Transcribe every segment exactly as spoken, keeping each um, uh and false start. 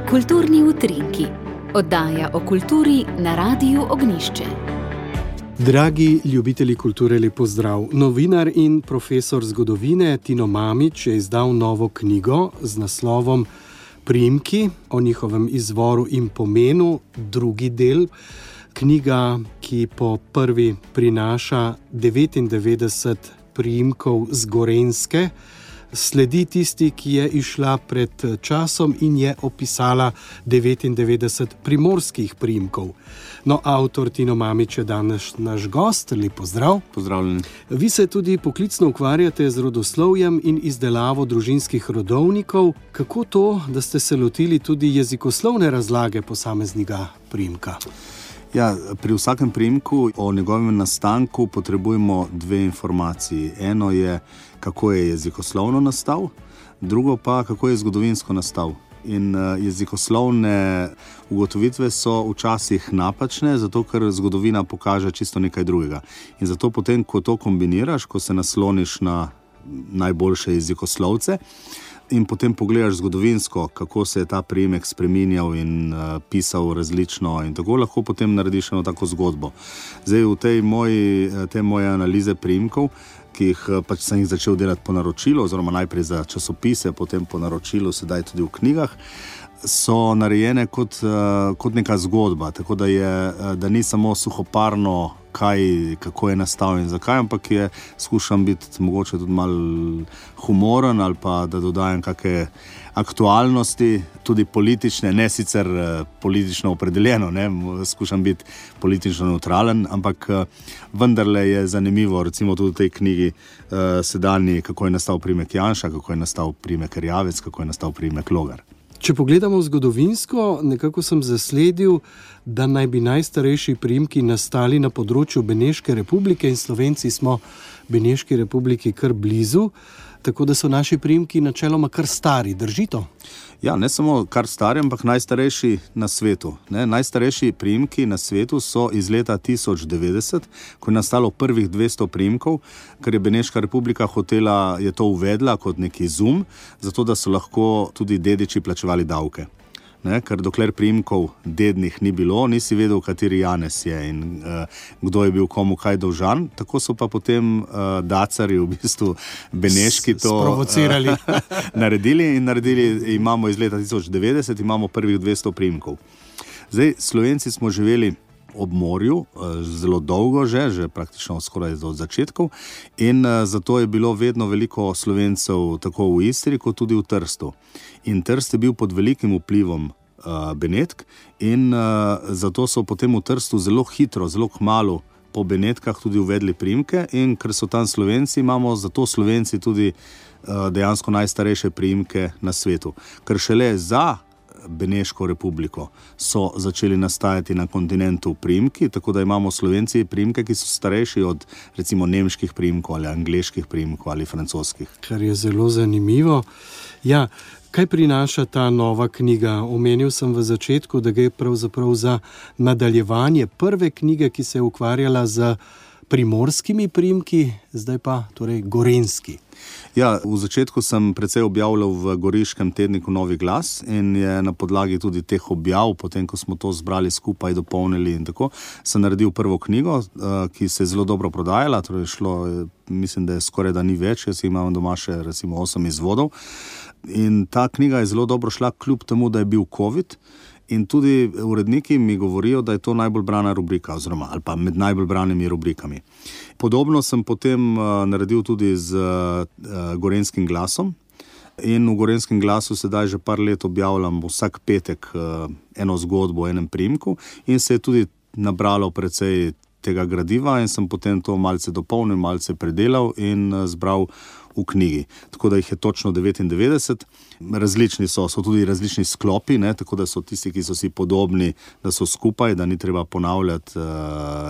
Kulturni utrinki. Oddaja o kulturi na Radiu Ognjišče. Dragi ljubitelji kulture, lep pozdrav. Novinar in profesor zgodovine Tino Mamić je izdal novo knjigo z naslovom Priimki, o njihovem izvoru in pomenu, drugi del. Knjiga, ki po prvi prinaša devetindevetdeset priimkov z Gorenjske, sledi tisti, ki je išla pred časom in je opisala devetindevetdeset primorskih priimkov. No, avtor Tino Mamić je danes naš gost. Lep pozdrav. Pozdravljeni. Vi se tudi poklicno ukvarjate z rodoslovjem in izdelavo družinskih rodovnikov. Kako to, da ste se lotili tudi jezikoslovne razlage posameznega priimka? Ja, pri vsakem priimku o njegovem nastanku potrebujemo dve informaciji. Eno je, kako je jezikoslovno nastal, drugo pa, kako je zgodovinsko nastal. In uh, jezikoslovne ugotovitve so včasih napačne, zato ker zgodovina pokaže čisto nekaj drugega. In zato potem, ko to kombiniraš, ko se nasloniš na najboljše jezikoslovce in potem pogledaš zgodovinsko, kako se je ta priimek spreminjal in uh, pisal različno in tako lahko potem narediš eno tako zgodbo. Zdaj v tej moji, te moje analize priimkov, ki jih pač sem jih začel delati po naročilu, oziroma najprej za časopise, potem po naročilu, sedaj tudi v knjigah, so narejene kot, kot neka zgodba, tako da, je, da ni samo suhoparno, kaj, kako je nastal in zakaj, ampak je, skušam biti mogoče tudi malo humoren ali pa da dodajam kakšne aktualnosti, tudi politične, ne sicer politično opredeljeno, ne, skušam biti politično neutralen, ampak vendarle je zanimivo, recimo tudi v tej knjigi sedanji, kako je nastal priimek Janša, kako je nastal priimek Erjavec, kako je nastal priimek Logar. Če pogledamo zgodovinsko, nekako sem zasledil, da naj bi najstarejši priimki nastali na področju Beneške republike in Slovenci smo Beneški republiki kar blizu, tako da so naši priimki načeloma kar stari. Drži to? Ja, ne samo kar stari, ampak najstarejši na svetu. Ne? Najstarejši priimki na svetu so iz leta tisoč devetdeset, ko je nastalo prvih dvesto priimkov, ker je Beneška republika hotela, je to uvedla kot neki izum, zato da so lahko tudi dediči plačevali davke. Ne, ker dokler priimkov dednih ni bilo, nisi vedel, kateri Janez je in uh, kdo je bil komu kaj dolžan. Tako so pa potem uh, dacarji v bistvu beneški to sprovocirali. Uh, naredili in naredili, imamo iz leta tisoč devetdeset, imamo prvih dvesto priimkov. Zdaj, Slovenci smo živeli ob morju, zelo dolgo že, že praktično skoraj od začetkov in zato je bilo vedno veliko Slovencev tako v Istri, kot tudi v Trstu. In Trst je bil pod velikim vplivom uh, Benetk in uh, zato so potem v Trstu zelo hitro, zelo kmalu po Benetkah tudi uvedli priimke in ker so tam Slovenci, imamo zato Slovenci tudi uh, dejansko najstarejše priimke na svetu. Ker šele za Beneško republiko so začeli nastajati na kontinentu priimki, tako da imamo Slovenci priimke, ki so starejši od recimo nemških priimkov ali angleških priimkov ali francoskih. Kar je zelo zanimivo. Ja, kaj prinaša ta nova knjiga? Omenil sem v začetku, da gre pravzaprav za nadaljevanje prve knjige, ki se je ukvarjala z primorskimi priimki, zdaj pa torej gorenjski. Ja, v začetku sem precej objavljal v goriškem tedniku Novi glas in je na podlagi tudi teh objav, potem ko smo to zbrali skupaj, dopolnili in tako, sem naredil prvo knjigo, ki se je zelo dobro prodajala, torej šlo, mislim, da je skoraj da ni več, jaz imam doma še recimo osem izvodov. In ta knjiga je zelo dobro šla, kljub temu, da je bil COVID. In tudi uredniki mi govorijo, da je to najbolj brana rubrika, oziroma ali pa med najbolj branimi rubrikami. Podobno sem potem uh, naredil tudi z uh, Gorenjskim glasom in v Gorenjskem glasu sedaj že par let objavljam vsak petek uh, eno zgodbo o enem priimku in se je tudi nabralo precej tega gradiva in sem potem to malce dopolnil, malce predelal in uh, zbral v knjigi. Tako da jih je točno devetindevetdeset. Različni so, so tudi različni sklopi, ne, tako da so tisti, ki so si podobni, da so skupaj, da ni treba ponavljati uh,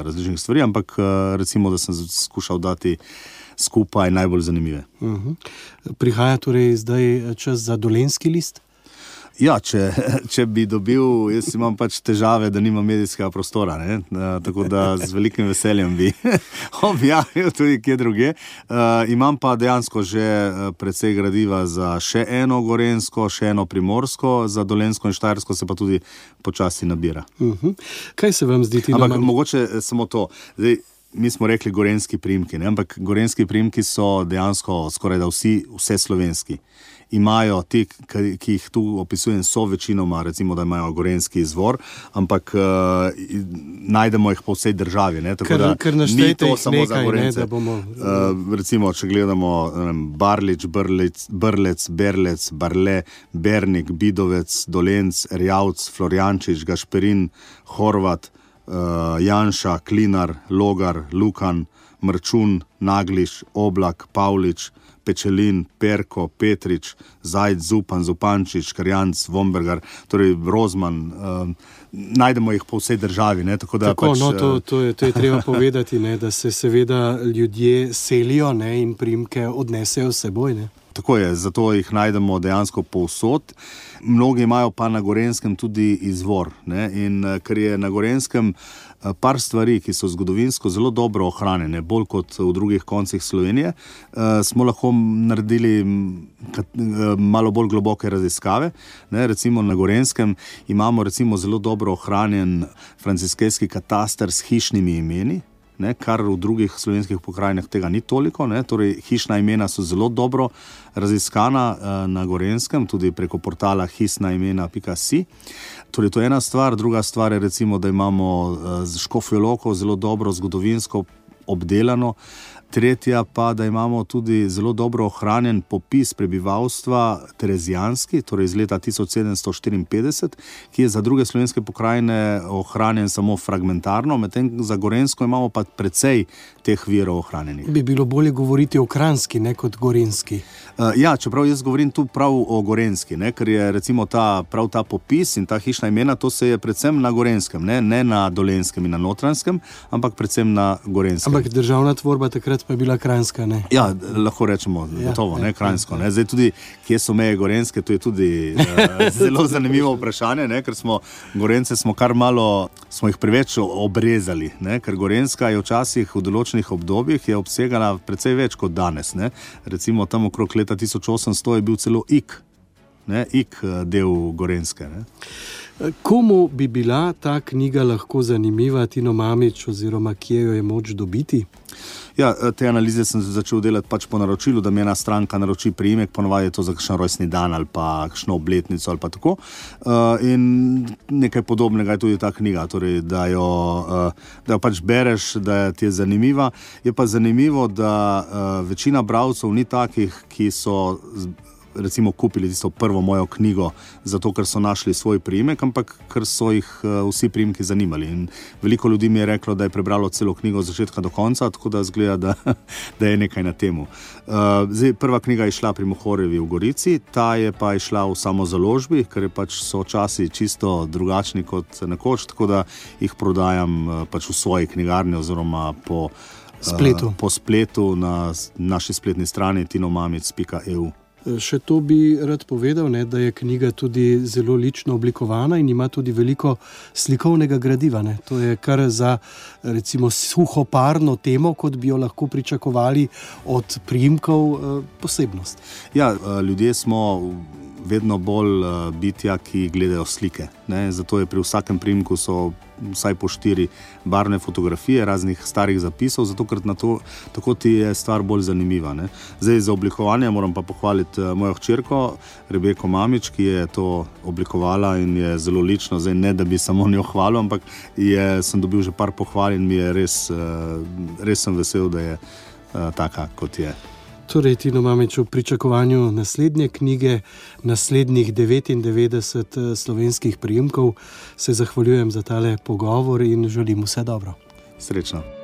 različnih stvari, ampak uh, recimo, da sem skušal dati skupaj najbolj zanimive. Uh-huh. Prihaja torej zdaj čas za Dolenjski list? Ja, če, če bi dobil, jaz imam pač težave, da nimam medijskega prostora, ne? Tako da z velikim veseljem bi objavil tudi kje druge. Uh, imam pa dejansko že precej gradiva za še eno gorenjsko, še eno primorsko, za dolenjsko in štajersko se pa tudi počasi nabira. Uh-huh. Kaj se vam zdi? Ampak nam... mogoče samo to. Zdaj, mi smo rekli gorenjski priimki, ne? Ampak gorenjski priimki so dejansko skoraj da vsi, vse slovenski. Imajo ti, ki jih tu opisujem, so večinoma, recimo, da imajo gorenjski izvor, ampak uh, najdemo jih po vsej državi. Ne? Tako ker, da ker ni to samo nekaj, za Gorence. Ne, bomo... uh, recimo, če gledamo um, Barlič, Brlec, Brlec, Berlec, Barle, Bernik, Bidovec, Dolenc, Erjavc, Florjančič, Gašperin, Horvat, uh, Janša, Klinar, Logar, Lukan, Mrčun, Nagliš, Oblak, Pavlič, Pečelin, Perko, Petrič, Zajc, Zupan, Zupančič, Karjanc, Vombergar, torej Rozman, uh, najdemo jih po vsej državi. Ne? Tako, da Tako, pač, no, to, to, je, to je treba povedati, ne? Da se seveda ljudje selijo, ne? In priimke odnesejo s seboj. Ne? Tako je, zato jih najdemo dejansko povsod. Mnogi imajo pa na Gorenskem tudi izvor. Ne? In ker je na Gorenskem par stvari, ki so zgodovinsko zelo dobro ohranjene, bolj kot v drugih koncih Slovenije, smo lahko naredili malo bolj globoke raziskave. Ne? Recimo na Gorenskem imamo recimo zelo dobro ohranjen franciskejski kataster s hišnimi imeni, ne, kar v drugih slovenskih pokrajinah tega ni toliko. Ne, torej, hišna imena so zelo dobro raziskana uh, na Gorenskem, tudi preko portala hisnaimena pika si. Torej, to je ena stvar. Druga stvar je recimo, da imamo uh, z Škofjo Loko zelo dobro zgodovinsko obdelano. Tretja pa, da imamo tudi zelo dobro ohranjen popis prebivalstva terezijanski, torej iz leta tisoč sedemsto štiriinpetdeset, ki je za druge slovenske pokrajine ohranjen samo fragmentarno, medtem za Gorenjsko imamo pa precej teh virov ohranjenih. Bi bilo bolje govoriti o kranjski, ne kot gorenjski. Uh, ja, čeprav jaz govorim tu prav o gorenjski, ne, ker je recimo ta, prav ta popis in ta hišna imena, to se je predvsem na Gorenskem, ne, ne na Dolenjskem in na Notranjskem, ampak predvsem na Gorenskem. Ampak državna tvorba takrat pa je bila kranjska, ne? Ja, lahko rečemo, ja, gotovo, ja, ne, kranjsko. Ne. Zdaj tudi, kje so meje Gorenjske, to je tudi uh, zelo zanimivo vprašanje, ne, ker smo Gorence smo kar malo, smo jih preveč obrezali, ne, ker Gorenjska je včasih v določenih obdobjih je obsegala precej več kot danes, ne. Recimo tam okrog leta tisoč osemsto je bil celo Ik, ne, Ik del Gorenjske, ne. Komu bi bila ta knjiga lahko zanimiva, Tino Mamić, oziroma kje jo je moč dobiti? Ja, te analize sem začel delati pač po naročilu, da mi ena stranka naroči priimek, ponovadi je to za kakšen rojstni dan ali pa kakšno obletnico ali pa tako. Uh, in nekaj podobnega je tudi ta knjiga, torej, da jo, uh, da jo pač bereš, da ti je zanimiva. Je pa zanimivo, da uh, večina bralcev ni takih, ki so recimo kupili tisto prvo mojo knjigo zato, ker so našli svoj priimek, ampak ker so jih uh, vsi priimki zanimali. In veliko ljudi mi je reklo, da je prebralo celo knjigo od začetka do konca, tako da zgleda, da, da je nekaj na temu. Uh, zdaj, prva knjiga je šla pri Mohorjevi v Gorici, ta je pa išla v samozaložbi, ker je pač so časi čisto drugačni kot nekoč, tako da jih prodajam uh, pač v svoji knjigarni oziroma po spletu, uh, po spletu na naši spletni strani tinomamic pika e u. Še to bi rad povedal, ne, da je knjiga tudi zelo lično oblikovana in ima tudi veliko slikovnega gradiva. Ne. To je kar za recimo suhoparno temo, kot bi jo lahko pričakovali od priimkov, posebnost. Ja, ljudje smo vedno bolj bitja, ki gledajo slike. Ne. Zato je pri vsakem priimku so vsaj po štiri barvne fotografije raznih starih zapisov, zato ker na to, tako ti je stvar bolj zanimiva. Ne. Zdaj za oblikovanje moram pa pohvaliti mojo hčerko Rebeko Mamić, ki je to oblikovala in je zelo lično. Zdaj ne, da bi samo njo hvalil, ampak je, sem dobil že par pohval in mi je res, res sem vesel, da je taka, kot je. Torej, Tino Mamić, v pričakovanju naslednje knjige, naslednjih devetindevetdeset slovenskih priimkov, se zahvaljujem za tale pogovor in želim vse dobro. Srečno.